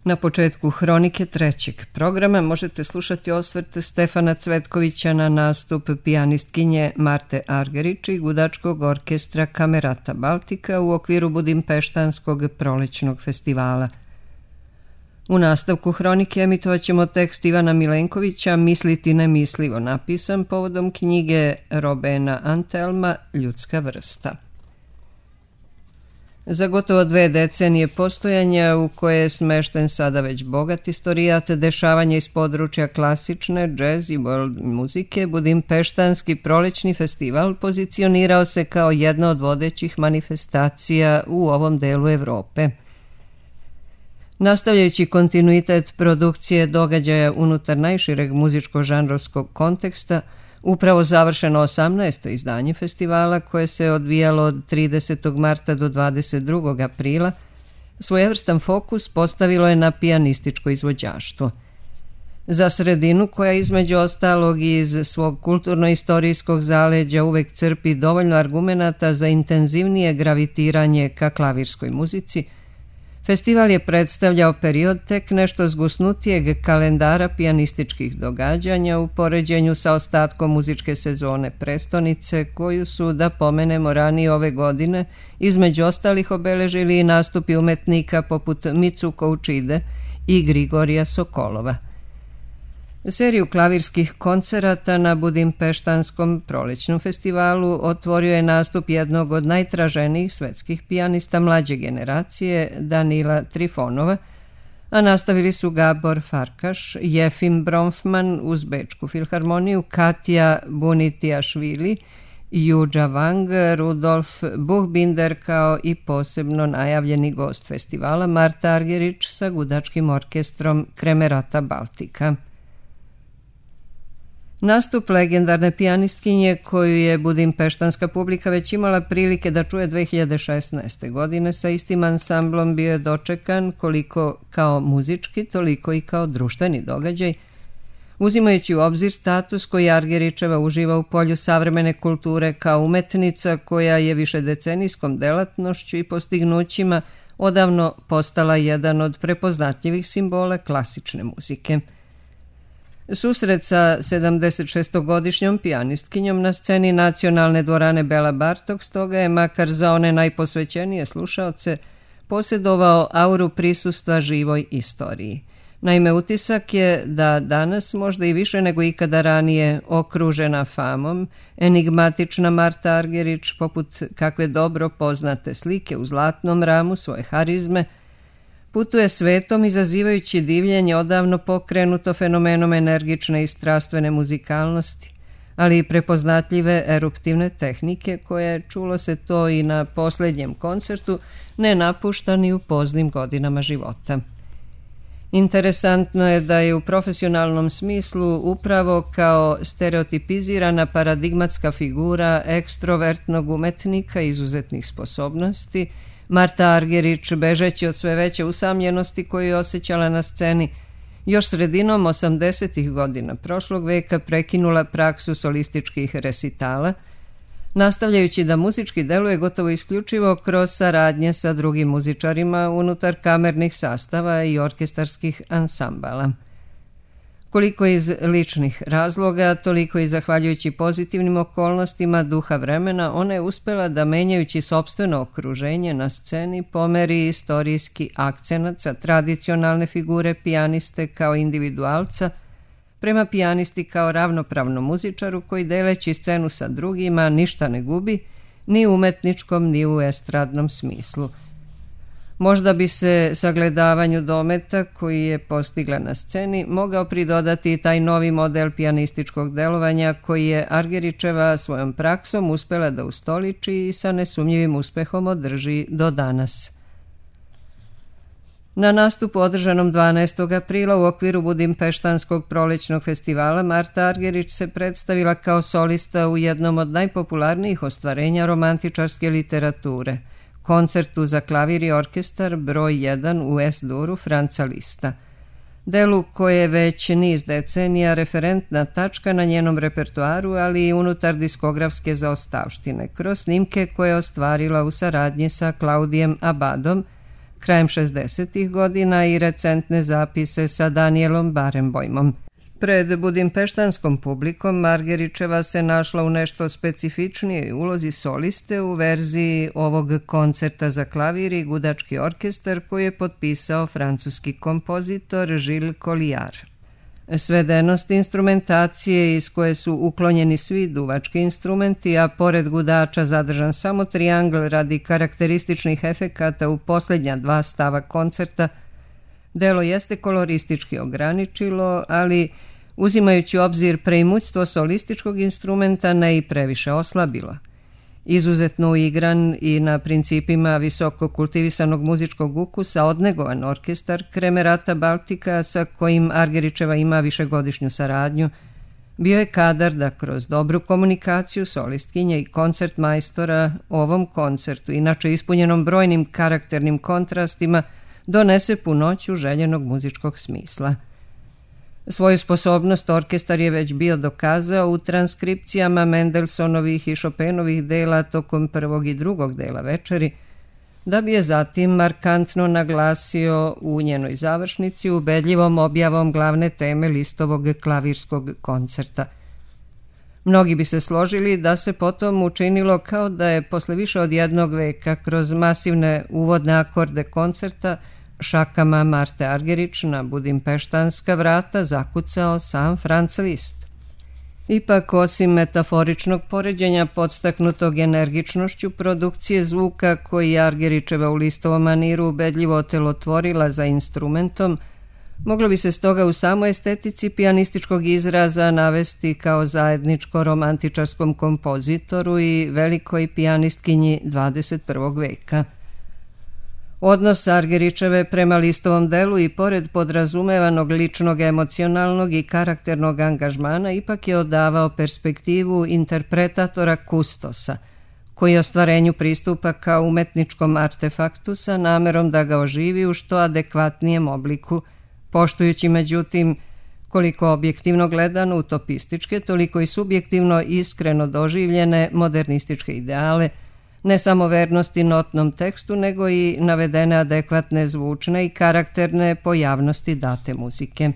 Na početku hronike trećeg programa možete slušati osvrt Stefana Cvetkovića na nastup pijanistkinje Marte Argerić i gudačkog orkestra Camerata Baltica u okviru Budimpeštanskog prolećnog festivala. U nastavku hronike emitovat ćemo tekst Ivana Milenkovića Misliti nemislivo, napisan povodom knjige Robena Antelma Ljudska vrsta. Za gotovo 2 decenije postojanja, u koje je smešten sada već bogat istorijat dešavanja iz područja klasične, jazz i world muzike, Budimpeštanski prolećni festival pozicionirao se kao jedna od vodećih manifestacija u ovom delu Evrope. Nastavljajući kontinuitet produkcije događaja unutar najšireg muzičko-žanrovskog konteksta, upravo završeno 18. izdanje festivala, koje se odvijalo od 30. marta do 22. aprila, svojevrstan fokus postavilo je na pijanističko izvođaštvo. Za sredinu, koja između ostalog iz svog kulturno-istorijskog zaleđa uvek crpi dovoljno argumenata za intenzivnije gravitiranje ka klavirskoj muzici, festival je predstavljao period tek nešto zgusnutijeg kalendara pijanističkih događanja u poređenju sa ostatkom muzičke sezone prestonice, koju su, da pomenemo, ranije ove godine između ostalih obeležili i nastupi umetnika poput Mitsuko Uchide i Grigorija Sokolova. Seriju klavirskih koncerata na Budimpeštanskom prolećnom festivalu otvorio je nastup jednog od najtraženijih svetskih pijanista mlađe generacije, Danila Trifonova, a nastavili su Gabor Farkaš, Jefim Bronfman uz Bečku filharmoniju, Katja Bunitiašvili, Juđa Wang, Rudolf Buchbinder kao i posebno najavljeni gost festivala Marta Argerić sa gudačkim orkestrom Camerata Baltica. Nastup legendarne pijanistkinje, koju je budimpeštanska publika već imala prilike da čuje 2016. godine, sa istim ansamblom bio je dočekan koliko kao muzički, toliko i kao društveni događaj, uzimajući u obzir status koji Argeričeva uživa u polju savremene kulture kao umetnica koja je višedecenijskom delatnošću i postignućima odavno postala jedan od prepoznatljivih simbola klasične muzike. Susret sa 76-godišnjom pijanistkinjom na sceni Nacionalne dvorane Bela Bartok stoga je, makar za one najposvećenije slušaoce, posjedovao auru prisustva živoj istoriji. Naime, utisak je da danas, možda i više nego ikada ranije, okružena famom, enigmatična Marta Argerić, poput kakve dobro poznate slike u zlatnom ramu svoje harizme, putuje svetom izazivajući divljenje odavno pokrenuto fenomenom energične i strastvene muzikalnosti, ali i prepoznatljive eruptivne tehnike koje, čulo se to i na posljednjem koncertu, ne napušta ni u poznim godinama života. Interesantno je da je u profesionalnom smislu upravo kao stereotipizirana paradigmatska figura ekstrovertnog umetnika izuzetnih sposobnosti Marta Argerić, bežeći od sve veće usamljenosti koju je osjećala na sceni, još sredinom 80. godina prošlog veka prekinula praksu solističkih resitala, nastavljajući da muzički deluje gotovo isključivo kroz saradnje sa drugim muzičarima unutar kamernih sastava i orkestarskih ansambala. Koliko iz ličnih razloga, toliko i zahvaljujući pozitivnim okolnostima duha vremena, ona je uspela da, menjajući sopstveno okruženje na sceni, pomeri istorijski akcenat sa tradicionalne figure pijaniste kao individualca prema pijanisti kao ravnopravnom muzičaru koji, deleći scenu sa drugima, ništa ne gubi, ni u umetničkom ni u estradnom smislu. Možda bi se sagledavanju dometa koji je postigla na sceni mogao pridodati i taj novi model pijanističkog delovanja koji je Argeričeva svojom praksom uspela da ustoliči i sa nesumnjivim uspehom održi do danas. Na nastupu održanom 12. aprila u okviru Budimpeštanskog prolećnog festivala Marta Argerić se predstavila kao solista u jednom od najpopularnijih ostvarenja romantičarske literature, koncertu za klavir i orkestar broj 1 u S-duru Franca Lista, delu koje je već niz decenija referentna tačka na njenom repertoaru, ali i unutar diskografske zaostavštine, kroz snimke koje je ostvarila u saradnji sa Claudijem Abadom, krajem 60. godina i recentne zapise sa Danielom Barenboimom. Pred budimpeštanskom publikom Margeričeva se našla u nešto specifičnijoj ulozi soliste u verziji ovog koncerta za klavir i gudački orkestar koji je potpisao francuski kompozitor Gilles Collard. Svedenost instrumentacije iz koje su uklonjeni svi duvački instrumenti, a pored gudača zadržan samo triangl radi karakterističnih efekata u posljednja dva stava koncerta, delo jeste koloristički ograničilo, ali uzimajući u obzir preimućstvo solističkog instrumenta ne i previše oslabilo. Izuzetno uigran i na principima visoko kultivisanog muzičkog ukusa odnegovan orkestar Kremerata Baltika, sa kojim Argeričeva ima višegodišnju saradnju, bio je kadar da kroz dobru komunikaciju solistkinje i koncertmajstora ovom koncertu, inače ispunjenom brojnim karakternim kontrastima, donese punoću željenog muzičkog smisla. Svoju sposobnost orkestar je već bio dokazao u transkripcijama Mendelsonovih i Chopinovih dela tokom prvog i drugog dela večeri, da bi je zatim markantno naglasio u njenoj završnici ubedljivom objavom glavne teme Listovog klavirskog koncerta. Mnogi bi se složili da se potom učinilo kao da je posle više od jednog veka kroz masivne uvodne akorde koncerta šakama Marte Argerich na budimpeštanska vrata zakucao sam Franz Liszt. Ipak, osim metaforičnog poređenja podstaknutog energičnošću produkcije zvuka koji Argeričeva u Listovom maniru ubedljivo otelotvorila za instrumentom, moglo bi se stoga u samoj estetici pijanističkog izraza navesti kao zajedničko romantičarskom kompozitoru i velikoj pijanistkinji 21. veka. Odnos Argeričeve prema Listovom delu i pored podrazumevanog ličnog, emocionalnog i karakternog angažmana ipak je odavao perspektivu interpretatora kustosa, koji ostvarenju pristupa kao umetničkom artefaktu sa namerom da ga oživi u što adekvatnijem obliku, poštujući međutim koliko objektivno gledano utopističke, toliko i subjektivno iskreno doživljene modernističke ideale, ne samo vernosti notnom tekstu, nego i navedene adekvatne zvučne i karakterne pojavnosti date muzike.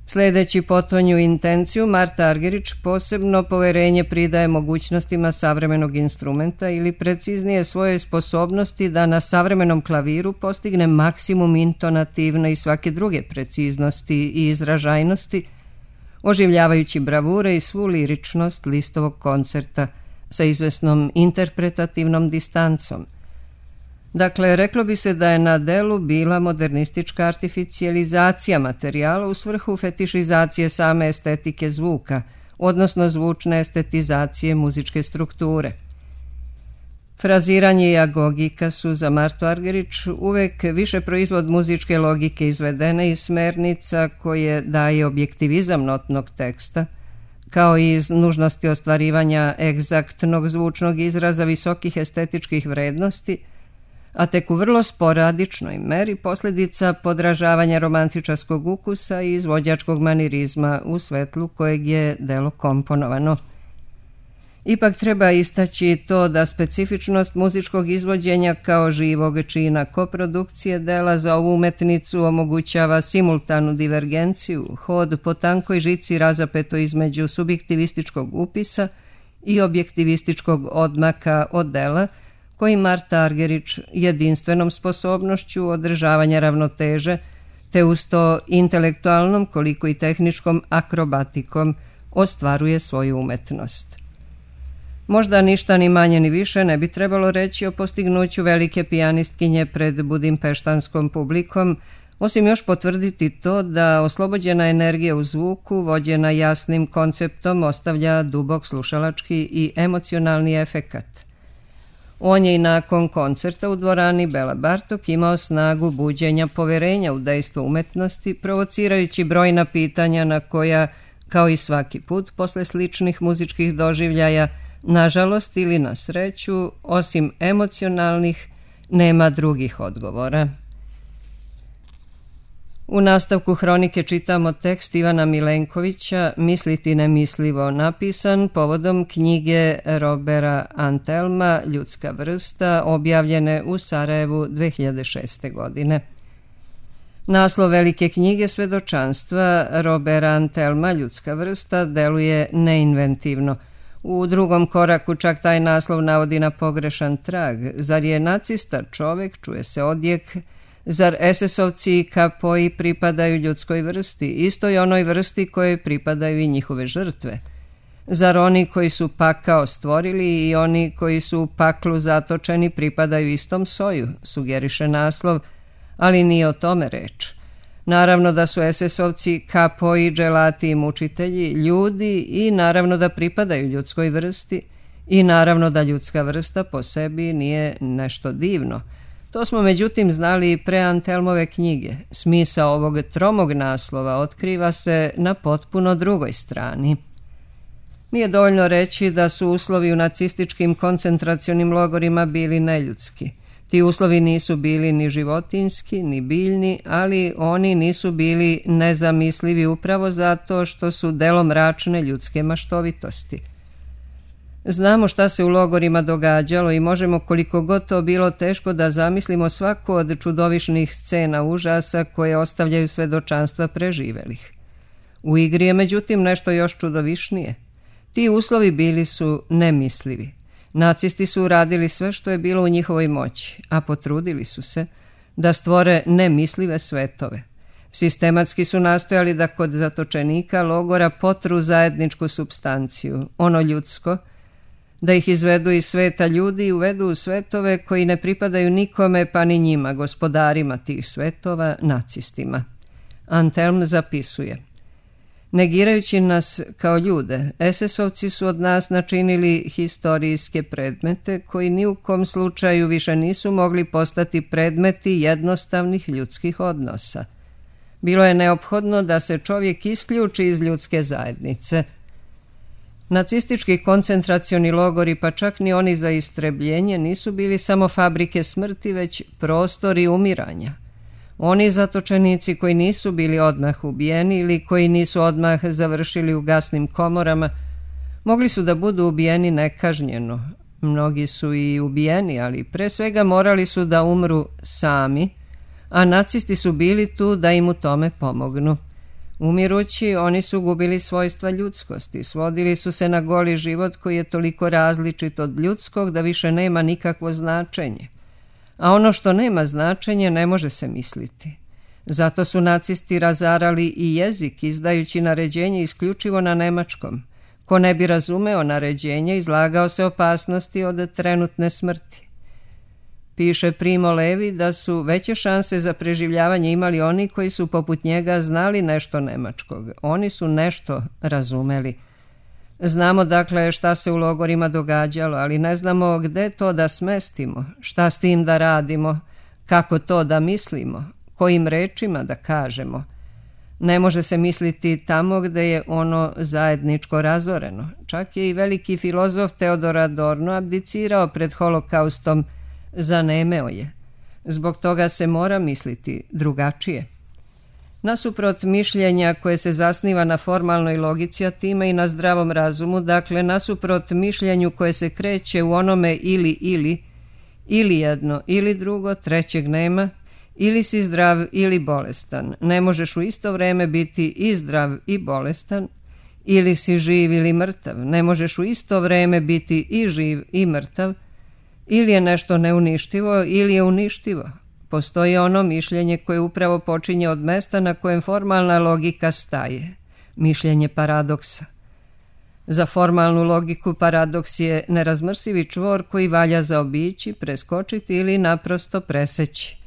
Sledeći potonju intenciju, Marta Argerich posebno poverenje pridaje mogućnostima savremenog instrumenta ili preciznije svojoj sposobnosti da na savremenom klaviru postigne maksimum intonativne i svake druge preciznosti i izražajnosti, oživljavajući bravure i svu liričnost Listovog koncerta sa izvesnom interpretativnom distancom. Dakle, reklo bi se da je na delu bila modernistička artificijalizacija materijala u svrhu fetišizacije same estetike zvuka, odnosno zvučne estetizacije muzičke strukture. Fraziranje i agogika su za Martu Argerich uvek više proizvod muzičke logike izvedene iz smernica koje daje objektivizam notnog teksta, kao i iz nužnosti ostvarivanja egzaktnog zvučnog izraza visokih estetičkih vrednosti, a tek u vrlo sporadičnoj meri posljedica podražavanja romantičarskog ukusa i izvođačkog manirizma u svetlu kojeg je delo komponovano. Ipak treba istaći to da specifičnost muzičkog izvođenja kao živog čina koprodukcije dela za ovu umetnicu omogućava simultanu divergenciju, hod po tankoj žici razapeto između subjektivističkog upisa i objektivističkog odmaka od dela, koji Marta Argerich jedinstvenom sposobnošću održavanja ravnoteže, te uz to intelektualnom koliko i tehničkom akrobatikom ostvaruje svoju umetnost. Možda ništa ni manje ni više ne bi trebalo reći o postignuću velike pijanistkinje pred budimpeštanskom publikom, osim još potvrditi to da oslobođena energija u zvuku, vođena jasnim konceptom, ostavlja dubok slušalački i emocionalni efekat. On je i nakon koncerta u dvorani Bela Bartok imao snagu buđenja poverenja u dejstvo umetnosti, provocirajući brojna pitanja na koja, kao i svaki put posle sličnih muzičkih doživljaja, nažalost ili na sreću, osim emocionalnih, nema drugih odgovora. U nastavku hronike čitamo tekst Ivana Milenkovića Misliti nemislivo, napisan povodom knjige Robera Antelma Ljudska vrsta, objavljene u Sarajevu 2006. godine. Naslov velike knjige Svedočanstva Robera Antelma Ljudska vrsta deluje neinventivno. U drugom koraku čak taj naslov navodi na pogrešan trag. Zar je nacista čovek, čuje se odjek, zar SS-ovci i kapoji pripadaju ljudskoj vrsti, istoj onoj vrsti kojoj pripadaju i njihove žrtve? Zar oni koji su pakao stvorili i oni koji su u paklu zatočeni pripadaju istom soju, sugeriše naslov, ali nije o tome reč. Naravno da su SS-ovci kapoji, dželati i mučitelji ljudi i naravno da pripadaju ljudskoj vrsti i naravno da ljudska vrsta po sebi nije nešto divno. To smo međutim znali i pre Antelmove knjige. Smisao ovog tromog naslova otkriva se na potpuno drugoj strani. Nije dovoljno reći da su uslovi u nacističkim koncentracionim logorima bili neljudski. Ti uslovi nisu bili ni životinjski, ni biljni, ali oni nisu bili nezamislivi upravo zato što su delo mračne ljudske maštovitosti. Znamo šta se u logorima događalo i možemo, koliko god to bilo teško, da zamislimo svaku od čudovišnih scena užasa koje ostavljaju svedočanstva preživelih. U igri je međutim nešto još čudovišnije. Ti uslovi bili su nemislivi. Nacisti su uradili sve što je bilo u njihovoj moći, a potrudili su se da stvore nemislive svetove. Sistematski su nastojali da kod zatočenika logora potru zajedničku supstanciju, ono ljudsko, da ih izvedu iz sveta ljudi i uvedu u svetove koji ne pripadaju nikome pa ni njima, gospodarima tih svetova, nacistima. Antelm zapisuje: negirajući nas kao ljude, SS-ovci su od nas načinili historijske predmete koji ni u kom slučaju više nisu mogli postati predmeti jednostavnih ljudskih odnosa. Bilo je neophodno da se čovjek isključi iz ljudske zajednice. Nacistički koncentracioni logori, pa čak ni oni za istrebljenje, nisu bili samo fabrike smrti, već prostori umiranja. Oni zatočenici koji nisu bili odmah ubijeni ili koji nisu odmah završili u gasnim komorama, mogli su da budu ubijeni nekažnjeno. Mnogi su i ubijeni, ali pre svega morali su da umru sami, a nacisti su bili tu da im u tome pomognu. Umirući, oni su gubili svojstva ljudskosti, svodili su se na goli život koji je toliko različit od ljudskog da više nema nikakvo značenje. A ono što nema značenje ne može se misliti. Zato su nacisti razarali i jezik, izdajući naređenje isključivo na nemačkom. Ko ne bi razumeo naređenje, izlagao se opasnosti od trenutne smrti. Piše Primo Levi da su veće šanse za preživljavanje imali oni koji su poput njega znali nešto nemačkog. Oni su nešto razumeli. Znamo dakle šta se u logorima događalo, ali ne znamo gde to da smestimo, šta s tim da radimo, kako to da mislimo, kojim rečima da kažemo. Ne može se misliti tamo gde je ono zajedničko razoreno. Čak je i veliki filozof Teodor Adorno abdicirao pred holokaustom, zanemeo je. Zbog toga se mora misliti drugačije. Nasuprot mišljenja koje se zasniva na formalnoj logici, a time i na zdravom razumu, dakle nasuprot mišljenju koje se kreće u onome ili jedno, ili drugo, trećeg nema, ili si zdrav ili bolestan. Ne možeš u isto vreme biti i zdrav i bolestan, ili si živ ili mrtav. Ne možeš u isto vreme biti i živ i mrtav, ili je nešto neuništivo ili je uništivo. Postoji ono mišljenje koje upravo počinje od mesta na kojem formalna logika staje. Mišljenje paradoksa. Za formalnu logiku paradoks je nerazmrsivi čvor koji valja zaobići, preskočiti ili naprosto preseći.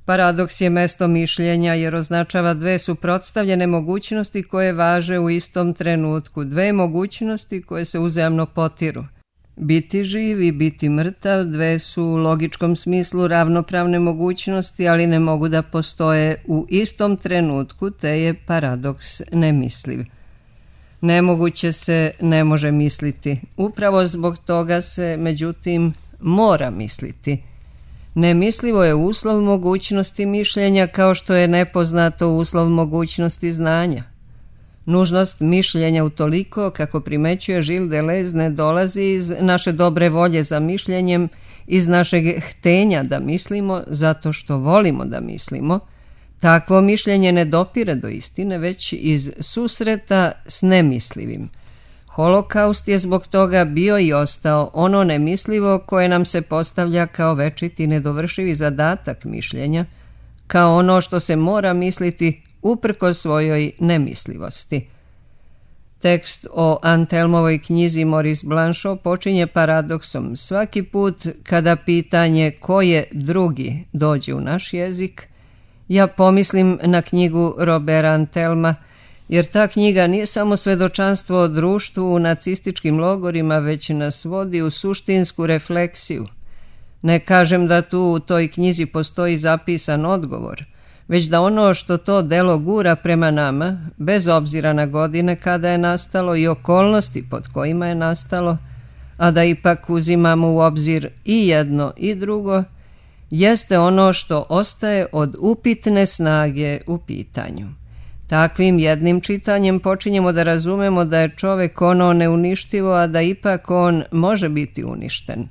Paradoks je mesto mišljenja jer označava dve suprotstavljene mogućnosti koje važe u istom trenutku, dve mogućnosti koje se uzajamno potiru. Biti živ i biti mrtav dve su u logičkom smislu ravnopravne mogućnosti, ali ne mogu da postoje u istom trenutku, te je paradoks nemisliv. Nemoguće se ne može misliti. Upravo zbog toga se, međutim, mora misliti. Nemislivo je uslov mogućnosti mišljenja kao što je nepoznato uslov mogućnosti znanja. Nužnost mišljenja utoliko, kako primećuje Gilles Deleuze, ne dolazi iz naše dobre volje za mišljenjem, iz našeg htenja da mislimo zato što volimo da mislimo. Takvo mišljenje ne dopire do istine, već iz susreta s nemislivim. Holokaust je zbog toga bio i ostao ono nemislivo koje nam se postavlja kao večiti nedovršivi zadatak mišljenja, kao ono što se mora misliti uprkos svojoj nemislivosti. Tekst o Antelmovoj knjizi Maurice Blanchot počinje paradoksom. Svaki put kada pitanje ko je drugi dođe u naš jezik, ja pomislim na knjigu Roberta Antelma, jer ta knjiga nije samo svedočanstvo o društvu u nacističkim logorima, već nas vodi u suštinsku refleksiju. Ne kažem da tu u toj knjizi postoji zapisan odgovor, već da ono što to delo gura prema nama, bez obzira na godine kada je nastalo i okolnosti pod kojima je nastalo, a da ipak uzimamo u obzir i jedno i drugo, jeste ono što ostaje od upitne snage u pitanju. Takvim jednim čitanjem počinjemo da razumemo da je čovek ono neuništivo, a da ipak on može biti uništen.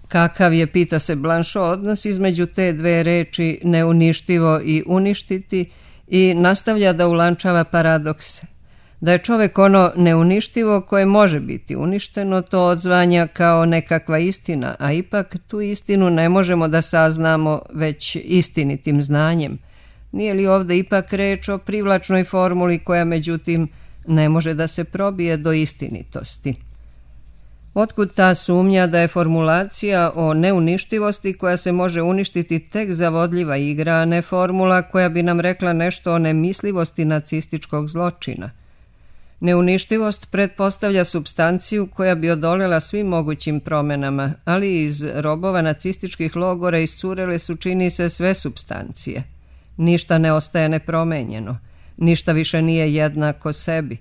Kakav je, pita se Blanchot, odnos između te dve reči neuništivo i uništiti, i nastavlja da ulančava paradokse. Da je čovek ono neuništivo koje može biti uništeno, to odzvanja kao nekakva istina, a ipak tu istinu ne možemo da saznamo već istinitim znanjem. Nije li ovde ipak reč o privlačnoj formuli koja međutim ne može da se probije do istinitosti? Otkud ta sumnja da je formulacija o neuništivosti koja se može uništiti tek zavodljiva igra, a ne formula koja bi nam rekla nešto o nemislivosti nacističkog zločina? Neuništivost pretpostavlja supstanciju koja bi odoljela svim mogućim promenama, ali iz robova nacističkih logora iscurele su, čini se, sve supstancije. Ništa ne ostaje nepromenjeno, ništa više nije jednako sebi.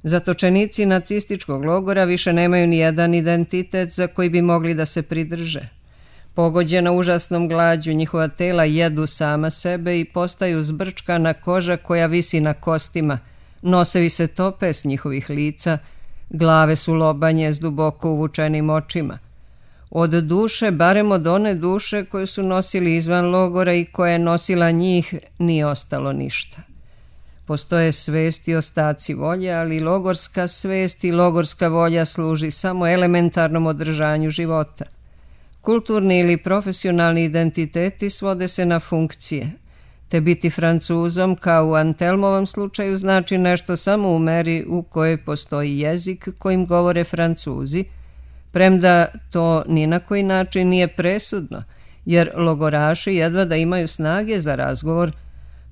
Zatočenici nacističkog logora više nemaju ni jedan identitet za koji bi mogli da se pridrže. Pogođena užasnom glađu, njihova tela jedu sama sebe i postaju zbrčkana koža koja visi na kostima, nosevi se tope s njihovih lica, glave su lobanje s duboko uvučenim očima. Od duše, barem od one duše koju su nosili izvan logora i koja je nosila njih, nije ostalo ništa. Postoje svest i ostaci volje, ali logorska svest i logorska volja služi samo elementarnom održanju života. Kulturni ili profesionalni identiteti svode se na funkcije, te biti Francuzom, kao u Antelmovom slučaju, znači nešto samo u meri u kojoj postoji jezik kojim govore Francuzi, premda to ni na koji način nije presudno, jer logoraši jedva da imaju snage za razgovor,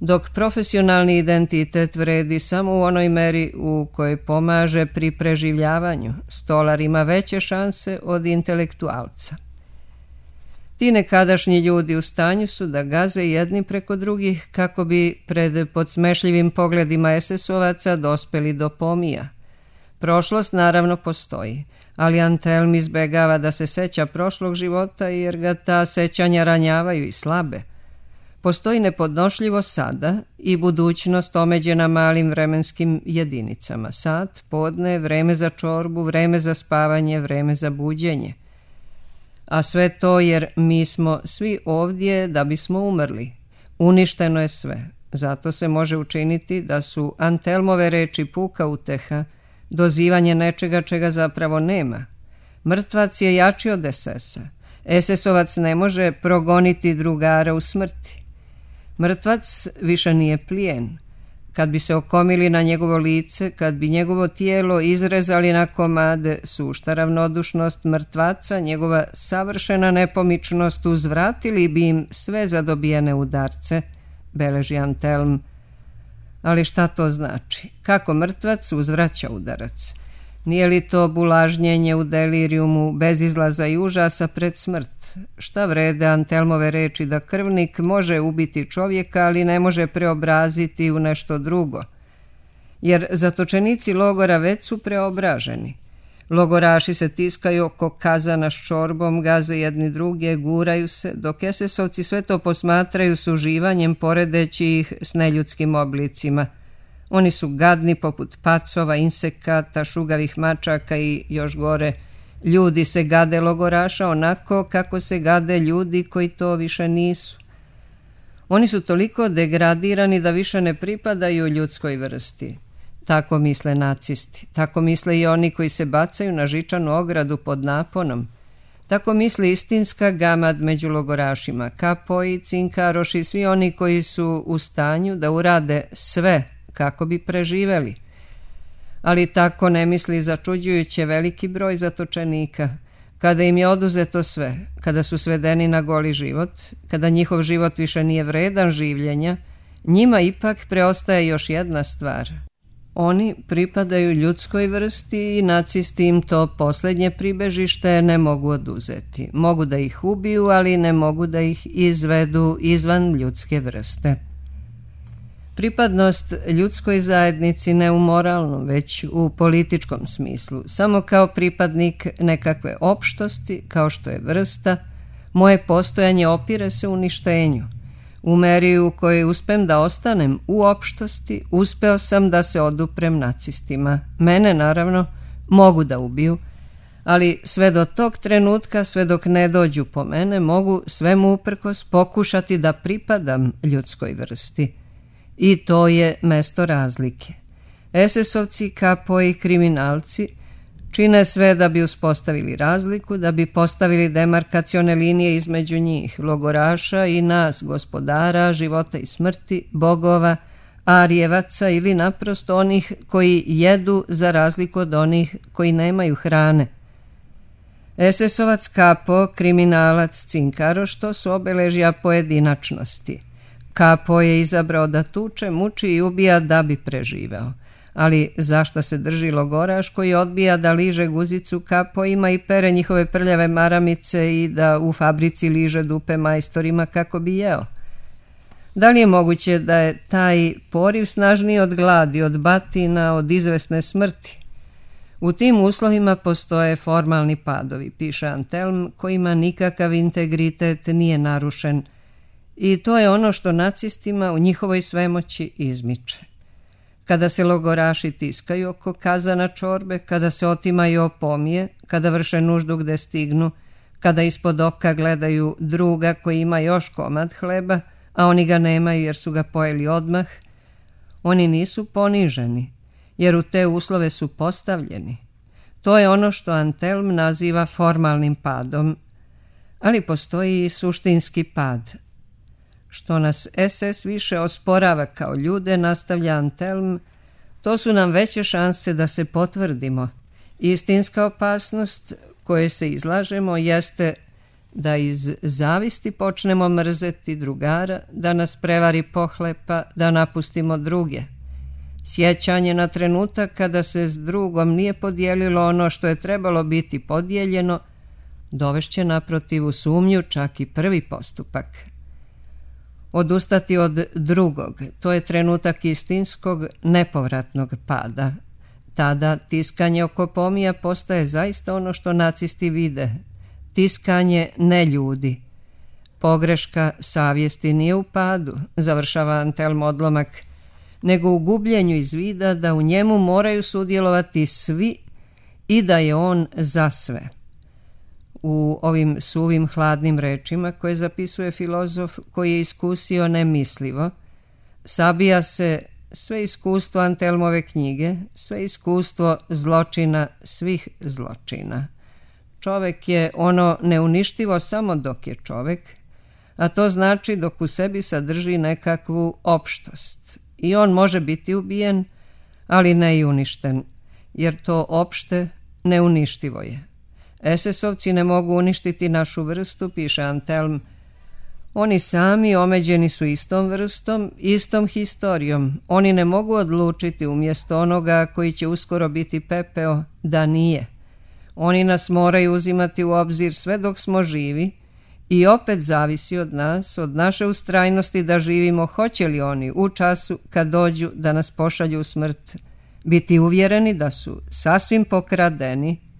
dok profesionalni identitet vredi samo u onoj meri u kojoj pomaže pri preživljavanju. Stolar ima veće šanse od intelektualca. Ti nekadašnji ljudi u stanju su da gaze jedni preko drugih kako bi pred podsmešljivim pogledima SS-ovaca dospeli do pomija. Prošlost naravno postoji, ali Antelm izbegava da se seća prošlog života jer ga ta sećanja ranjavaju i slabe. Postoji nepodnošljivo sada i budućnost omeđena malim vremenskim jedinicama. Sat, podne, vreme za čorbu, vreme za spavanje, vreme za buđenje. A sve to jer mi smo svi ovdje da bismo umrli. Uništeno je sve. Zato se može učiniti da su Antelmove reči puka uteha, dozivanje nečega čega zapravo nema. Mrtvac je jači od SS-a. SS-ovac ne može progoniti drugara u smrti. Mrtvac više nije plijen. Kad bi se okomili na njegovo lice, kad bi njegovo tijelo izrezali na komade, sušta ravnodušnost mrtvaca, njegova savršena nepomičnost, uzvratili bi im sve zadobijene udarce, beleži Antelm. Ali šta to znači? Kako mrtvac uzvraća udarac? Nije li to bulažnjenje u delirijumu, bez izlaza i užasa pred smrt? Šta vrede Antelmove reči da krvnik može ubiti čovjeka, ali ne može preobraziti u nešto drugo? Jer zatočenici logora već su preobraženi. Logoraši se tiskaju oko kazana s čorbom, gaze jedni druge, guraju se, dok esesovci sve to posmatraju s uživanjem, poredeći ih s neljudskim oblicima. Oni su gadni poput pacova, insekata, šugavih mačaka i još gore. Ljudi se gade logoraša onako kako se gade ljudi koji to više nisu. Oni su toliko degradirani da više ne pripadaju ljudskoj vrsti. Tako misle nacisti, tako misle i oni koji se bacaju na žičanu ogradu pod naponom. Tako misli istinska gamad među logorašima, kapoji, cinkaroši i svi oni koji su u stanju da urade sve kako bi preživeli. Ali tako ne misli začuđujuće veliki broj zatočenika. Kada im je oduzeto sve, kada su svedeni na goli život, kada njihov život više nije vredan življenja, njima ipak preostaje još jedna stvar. Oni pripadaju ljudskoj vrsti i nacisti im to posljednje pribežište ne mogu oduzeti. Mogu da ih ubiju, ali ne mogu da ih izvedu izvan ljudske vrste. Pripadnost ljudskoj zajednici ne u moralnom, već u političkom smislu. Samo kao pripadnik nekakve opštosti, kao što je vrsta, moje postojanje opire se uništenju. U meri u kojoj uspem da ostanem u opštosti, uspeo sam da se oduprem nacistima. Mene, naravno, mogu da ubiju, ali sve do tog trenutka, sve dok ne dođu po mene, mogu svemu uprkos pokušati da pripadam ljudskoj vrsti. I to je mesto razlike. Esesovci, kapoji, kriminalci čine sve da bi uspostavili razliku, da bi postavili demarkacione linije između njih, logoraša i nas, gospodara, života i smrti, bogova, arijevaca ili naprosto onih koji jedu za razliku od onih koji nemaju hrane. Esesovac, kapo, kriminalac, cinkaroš, to su obeležja pojedinačnosti. Kapo je izabrao da tuče, muči i ubija da bi preživeo. Ali zašto se drži logoraš koji odbija da liže guzicu kapoima i pere njihove prljave maramice i da u fabrici liže dupe majstorima kako bi jeo? Da li je moguće da je taj poriv snažniji od gladi, od batina, od izvesne smrti? U tim uslovima postoje formalni padovi, piše Antelm, kojima nikakav integritet nije narušen. I to je ono što nacistima u njihovoj svemoći izmiče. Kada se logoraši tiskaju oko kazana čorbe, kada se otimaju opomije, kada vrše nuždu gde stignu, kada ispod oka gledaju druga koji ima još komad hleba, a oni ga nemaju jer su ga pojeli odmah, oni nisu poniženi, jer u te uslove su postavljeni. To je ono što Antelm naziva formalnim padom, ali postoji i suštinski pad. Što nas SS više osporava kao ljude, nastavlja Antelm, to su nam veće šanse da se potvrdimo. Istinska opasnost koje se izlažemo jeste da iz zavisti počnemo mrzeti drugara, da nas prevari pohlepa, da napustimo druge. Sjećanje na trenutak kada se s drugom nije podijelilo ono što je trebalo biti podijeljeno, dovešće naprotiv u sumnju čak i prvi postupak. Odustati od drugog, to je trenutak istinskog, nepovratnog pada. Tada tiskanje oko pomija postaje zaista ono što nacisti vide. Tiskanje ne ljudi. Pogreška savjesti nije u padu, završava Antelm odlomak, nego u gubljenju iz vida da u njemu moraju sudjelovati svi i da je on za sve. U ovim suvim hladnim rečima koje zapisuje filozof koji je iskusio nemislivo, sabija se sve iskustvo Antelmove knjige, sve iskustvo zločina svih zločina. Čovek je ono neuništivo samo dok je čovek, a to znači dok u sebi sadrži nekakvu opštost. I on može biti ubijen, ali ne i uništen, jer to opšte neuništivo je. SS-ovci ne mogu uništiti našu vrstu, piše Antelm. Oni sami omeđeni su istom vrstom, istom historijom. Oni ne mogu odlučiti umjesto onoga koji će uskoro biti pepeo da nije. Oni nas moraju uzimati u obzir sve dok smo živi i opet zavisi od nas, od naše ustrajnosti da živimo, hoće li oni u času kad dođu da nas pošalju u smrt biti uvjereni da su sasvim pokradeni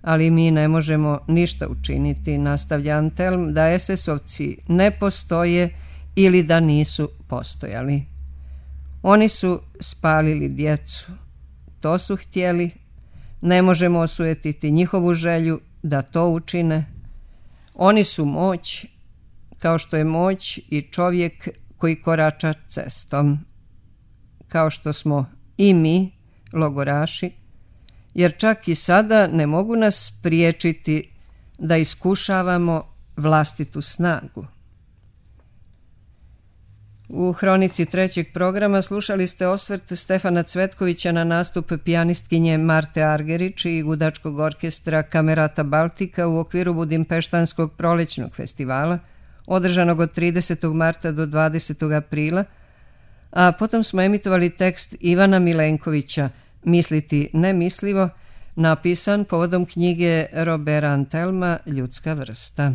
ali mi ne možemo ništa učiniti, nastavlja Antelm, da SS-ovci ne postoje ili da nisu postojali. Oni su spalili djecu, to su htjeli, ne možemo osujetiti njihovu želju da to učine. Oni su moć, kao što je moć i čovjek koji korača cestom, kao što smo i mi, logoraši, jer čak i sada ne mogu nas spriječiti da iskušavamo vlastitu snagu. U hronici trećeg programa slušali ste osvrt Stefana Cvetkovića na nastup pijanistkinje Marte Argerić i gudačkog orkestra Kamerata Baltika u okviru Budimpeštanskog prolećnog festivala, održanog od 30. marta do 20. aprila, a potom smo emitovali tekst Ivana Milenkovića Misliti nemislivo, napisan povodom knjige Roberta Antelma Ljudska vrsta.